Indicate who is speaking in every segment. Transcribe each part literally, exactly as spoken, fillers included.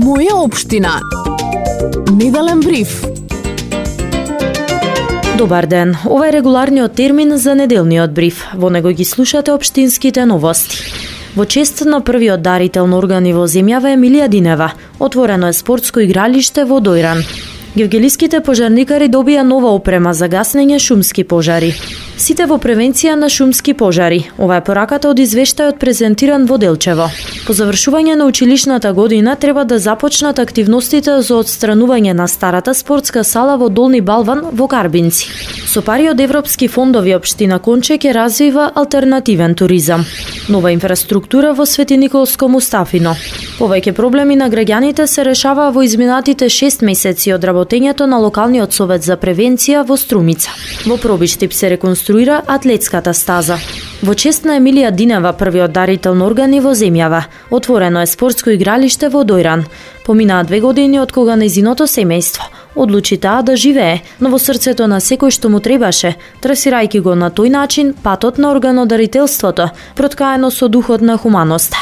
Speaker 1: Моја општина. Неделен бриф.
Speaker 2: Добар ден. Ова е регуларниот термин за неделниот бриф. Во него ги слушате општинските новости. Во чест на првиот дарител на органи во земјава Емилија Динева, отворено е спортско игралиште во Дојран. Гевгелиските пожарникари добија нова опрема за гаснење шумски пожари. Сите во превенција на шумски пожари. Ова е пораката од извештајот презентиран во Делчево. По завршување на училишната година треба да започнат активностите за отстранување на старата спортска сала во Долни Балван во Карбинци. Со пари од европски фондови општина Конче ќе развива алтернативен туризам. Нова инфраструктура во Свети Николско Мустафино. Повеќе проблеми на граѓаните се решаваа во изминатите шест месеци од работењето на локалниот совет за превенција во Струмица. Во Пробиштип се реконструира атлетската стаза. Во чест на Емилија Динева, првиот дарител на органи во земјава, отворено е спортско игралиште во Дојран. Поминаа две години од кога нејзиното семејство одлучи таа да живее, но во срцето на секој што му требаше, трасирајќи го на тој начин патот на органодарителството, проткаено со духот на хуманоста.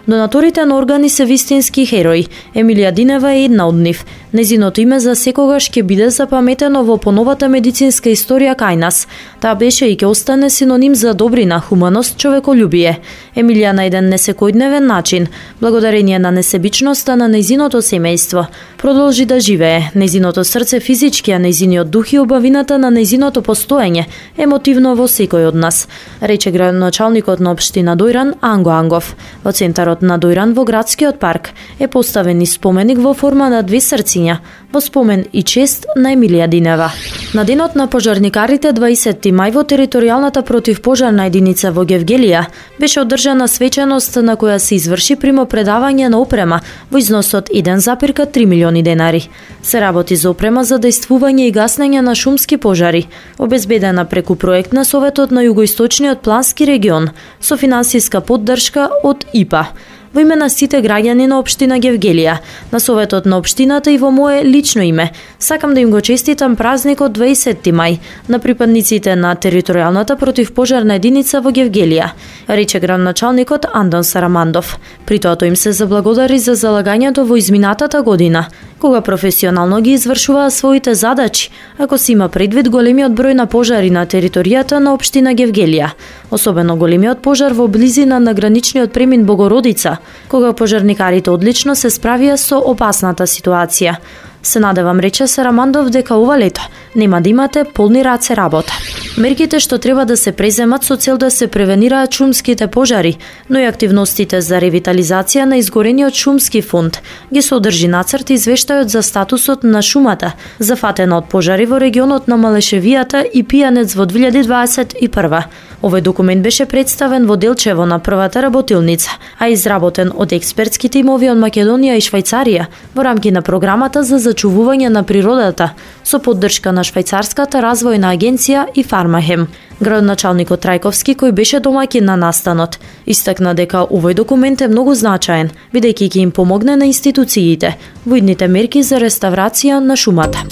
Speaker 2: Донаторите на органи се вистински херои. Емилија Динева е една од нив. Нејзиното име за секогаш ќе биде запаметено во поновата медицинска историја кај нас. Таа беше и ќе остане синоним за добрина, хуманост, човеколюбие. Емилија на еден несекојдневен начин, благодарение на несебичноста на нејзиното семејство, продолжи да живее. Нејзиното срце физички, а нејзиниот дух и убавината на нејзиното постоење емотивно во секој од нас, рече градоначалникот на општина Дојран Анго Ангов. Во центарот на Дојран во градскиот парк е поставен и споменик во форма на две срциња, во спомен и чест на Емилија Динева. На денот на пожарникарите дваесетти мај во територијалната противпожарна единица во Гевгелија беше одржана свеченост на која се изврши примопредавање на опрема во износот еден зарез три милиони денари. Се работи за опрема за дејствување и гаснење на шумски пожари, обезбедена преку проект на Советот на Југоисточниот плански регион со финансиска поддршка од И П А. Во име на сите граѓани на општина Гевгелија, на Советот на општината и во мое лично име, сакам да им го честитам празникот дваесетти мај на припадниците на територијалната противпожарна единица во Гевгелија, рече градоначалникот Андон Сарамандов. При тоа им се заблагодари за залагањето во изминатата година, кога професионално ги извршуваа своите задачи, ако се има предвид големиот број на пожари на територијата на општина Гевгелија, особено големиот пожар во близина на граничниот премин Богородица, кога пожарникарите одлично се справија со опасната ситуација. Се надевам, рече Сарамандов, дека ова лето нема да имате полни раце работа. Мерките што треба да се преземат со цел да се превенираат шумските пожари, но и активностите за ревитализација на изгорениот шумски фонд ги содржи нацрт извештајот за статусот на шумата, зафатена од пожари во регионот на Малешевијата и Пијанец во две илјади дваесет и прва. Овој документ беше представен во Делчево на првата работилница, а изработен од експертски тимови од Македонија и Швајцарија во рамки на програмата за зачувување на природата со поддршка на Швајцарската развојна агенција и Фармахем. Градоначалникот Трајковски, кој беше домаќин на настанот, истакна дека овој документ е многу значаен, бидејќи ќе им помогне на институциите во идните мерки за реставрација на шумата.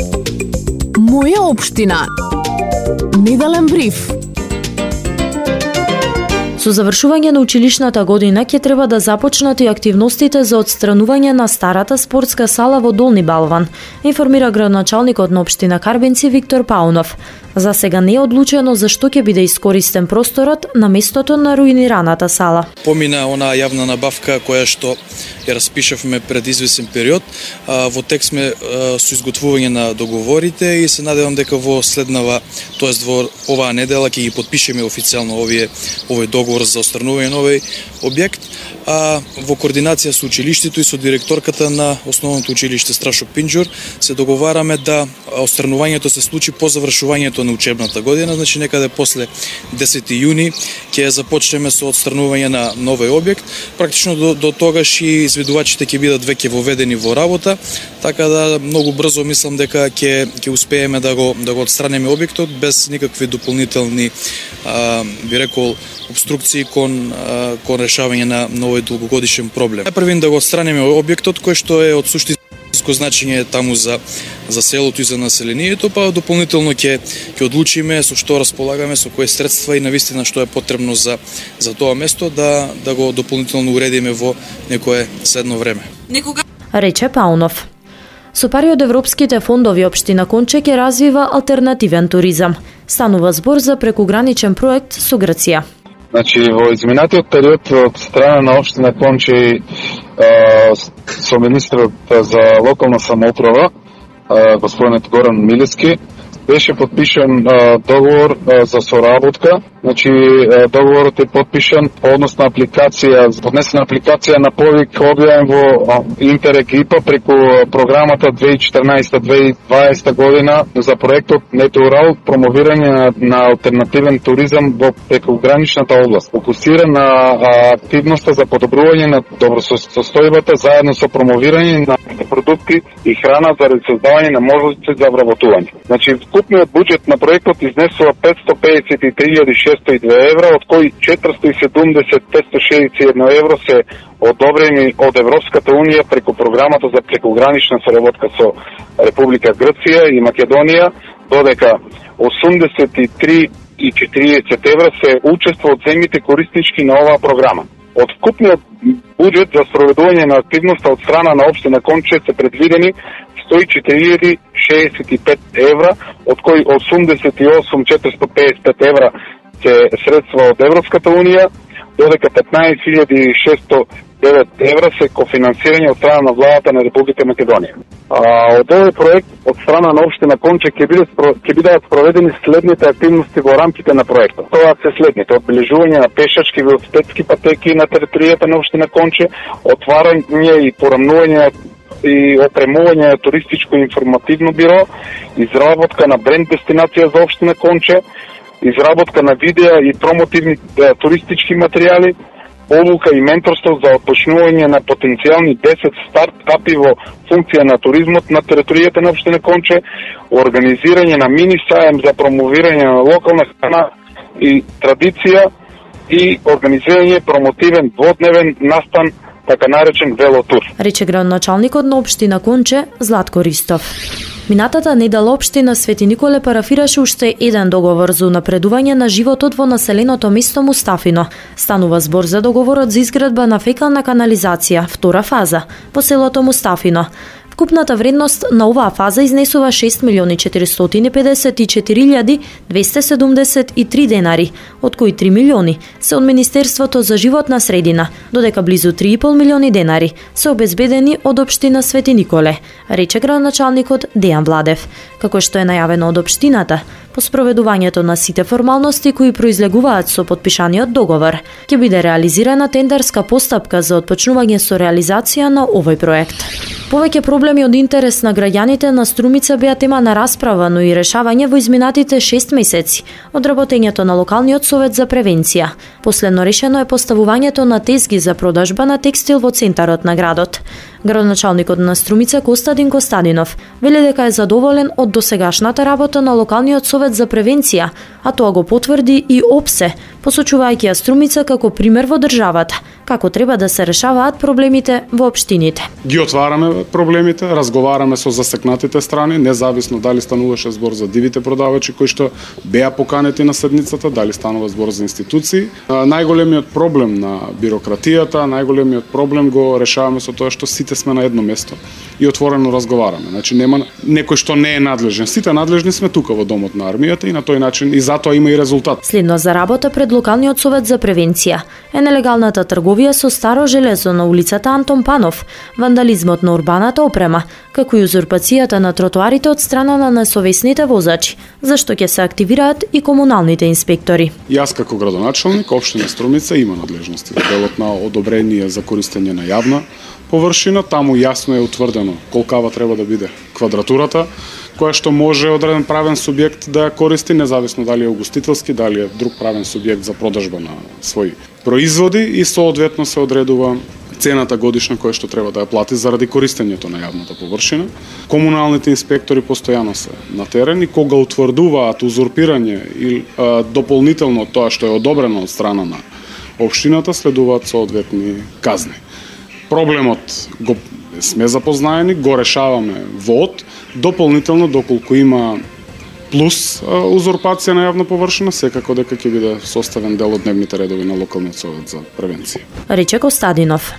Speaker 1: Моја општина. Неделен бриф.
Speaker 2: Со завршување на училишната година ќе треба да започнат и активностите за отстранување на старата спортска сала во Долни Балван, информира градоначалникот на општина Карбинци Виктор Паунов. За сега не е одлучено за што ќе биде искористен просторот на местото на руинираната сала.
Speaker 3: Помина онаа јавна набавка која што ја распишавме пред извесен период. Во тек сме со изготвување на договорите и се надевам дека во следнава, тоест во оваа недела ќе ги потпишеме официјално овие овој договор за отстранување на овој објект, а во координација со училиштето и со директорката на основното училиште Страшо Пинџур се договараме да отстранувањето се случи по завршувањето на учебната година, значи некаде после десети јуни ќе започнеме со отстранување на новој објект. Практично до, до тогаш и изведувачите ќе бидат веќе воведени во работа, така да многу брзо мислам дека ќе ќе успееме да го да го отстранеме објектот без никакви дополнителни а, би рекол обструкции кон а, кон решавање на новој долгогодишен проблем. Најпрвин да го отстранеме објектот кој што е од суштинско значење таму за за селото и за населението, па дополнително ќе ќе одлучиме со што располагаме, со кои средства и навистина што е потребно за за тоа место да да го дополнително уредиме во некое следно време.
Speaker 2: Некога рече Паунов. Со пари од европските фондови општина Конче ќе развива алтернативен туризам. Станува збор за прекуграничен проект со Грција.
Speaker 4: Значи, во изминатиот период од страна на општина Конче со министрот за локална самоуправа, господинот Горан Милевски, беше подпишан а, договор а, за соработка. Значи, а, договорот е подпишан по однос на апликација, поднесена апликација на повик објавен во Интерек ИПА преку програмата две тисачи и четрнаесета - две тисачи и дваесета година за проектот Метеорал, промовирање на, на алтернативен туризам во прекуграничната област. Фокусира на а, активноста за подобрување на добросостојбата заедно со промовирање на продукти и храна за создавање на можности за вработување. Значи, вкупниот буџет на проектот изнесува петстотини пеесет и три илјади шеста и две евра, од кои четиристотини и седумдесет илјади петстотини шеесет и едно евро се одобрени од Европската унија преку програмата за прекугранична соработка со Република Грција и Македонија, додека осумдесет и три и четириесет евра се учество од земјите кориснички на оваа програма. Од вкупниот буџет за спроведување на активноста од страна на општина Конче се предвидени сто и четири илјади шеесет и пет евра, од кои осумдесет и осум илјади четиристотини пеесет и пет евра се средства од Европската унија, додека петнаесет илјади шестстотини и девет евра се кофинансирање од страна на владата на Република Македонија. А, од овој проект од страна на општина Конче ќе биде ќе бидат спроведени следните активности во рамките на проектот. Тоа се следните: одбележување на пешачки велосипедски патеки на територијата на општина Конче, отварање и порамнување и опремување на туристичко информативно биро, изработка на бренд дестинација за општина Конче, изработка на видеа и промотивни е, туристички материјали, обука и менторство за отпочнување на потенцијални десет стартапи во функција на туризмот на територијата на општина Конче, организирање на мини саем за промовирање на локална храна и традиција и организирање промотивен дводневен настан, така наречен велотур.
Speaker 2: Рече градоначалникот на општина Конче Златко Ристов. Минатата недела општина Свети Николе парафираше уште еден договор за унапредување на животот во населеното место Мустафино. Станува збор за договорот за изградба на фекална канализација, втора фаза, во селото Мустафино. Вкупната вредност на оваа фаза изнесува шест милиони четиристотини педесет и четири илјади двесте седумдесет и три денари, од кои три милиони се од Министерството за животна средина, додека близу три и пол милиони денари се обезбедени од општина Свети Николе, рече градоначалникот Дејан Владев. Како што е најавено од општината, по спроведувањето на сите формалности кои произлегуваат со подпишаниот договор, ќе биде реализирана тендерска постапка за отпочнување со реализација на овој проект. Повеќе проблеми од интерес на граѓаните на Струмица беа тема на расправа, но и решавање во изминатите шест месеци од работењето на локалниот совет за превенција. Последно решено е поставувањето на тезги за продажба на текстил во центарот на градот. Градоначалникот на Струмица Костадин Костадинов вели дека е задоволен од досегашната работа на локалниот совет за превенција, а тоа го потврди и ОПСЕ, посочувајќи ја Струмица како пример во државата, како треба да се решаваат проблемите во општините.
Speaker 5: Ги отвараме проблемите, разговараме со засекнатите страни, независно дали стануваше збор за дивите продавачи кои што беа поканети на седницата, дали станува збор за институции. Најголемиот проблем на бирократијата, најголемиот проблем го решаваме со тоа што сите сме на едно место и отворено разговараме. Значи нема некој што не е надлежен. Сите надлежни сме тука во домот на армијата и на тој начин и затоа има и резултат.
Speaker 2: Следно за работа пред локалниот совет за превенција е нелегалната трговија со старо железо на улицата Антон Панов, вандализмот на урбаната опрема, како и узурпацијата на тротоарите од страна на несовесните возачи, зашто ќе се активираат и комуналните инспектори.
Speaker 5: Јас како градоначалник општина Струмица има надлежности во делот на одобрение за користење на јавна површина, таму јасно е утврдено колкава треба да биде квадратурата, која што може одреден правен субјект да ја користи, независно дали е угостителски, дали е друг правен субјект за продажба на своји производи и соодветно се одредува цената годишна која што треба да ја плати заради користењето на јавната површина. Комуналните инспектори постојано се на терен и кога утврдуваат узурпирање или а, дополнително тоа што е одобрено од страна на општината, следуваат соодветни казни. Проблемот го сме запознаени, го решаваме во од, дополнително доколку има плюс а, узурпација на јавна површина, секако дека ќе биде составен дел од дневните редови на локалниот совет за превенција.
Speaker 2: Рече Костадинов.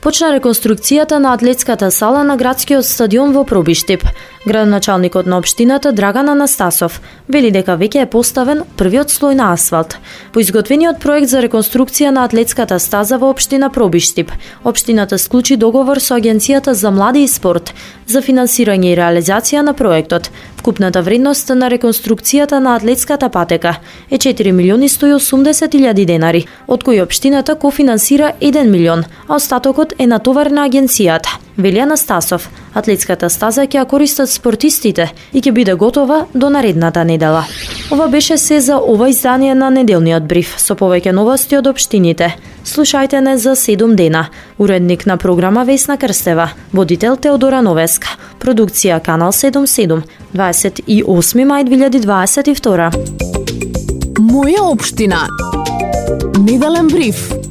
Speaker 2: Почна реконструкцијата на атлетската сала на градскиот стадион во Пробиштип. Градоначалникот на општината Драган Анастасов вели дека веќе е поставен првиот слој на асфалт. По изготвениот проект за реконструкција на атлетската стаза во општина Пробиштип, општината склучи договор со Агенцијата за млади и спорт за финансирање и реализација на проектот. Вкупната вредност на реконструкцијата на атлетската патека е четири милиони сто и осумдесет илјади денари, од кои општината кофинансира еден милион, а остатокот е натовар на агенцијата. Вели Анастасов, атлетската стаза ќе ја користат спортистите и ќе биде готова до наредната недела. Ова беше се за ова издание на неделниот бриф со повеќе новости од општините. Слушајте не за седум дена. Уредник на програма Весна Крстева, водител Теодора Новеска, продукција Канал седум седум, дваесет и осми мај две илјади дваесет и втора.
Speaker 1: Моја општина. Неделен бриф.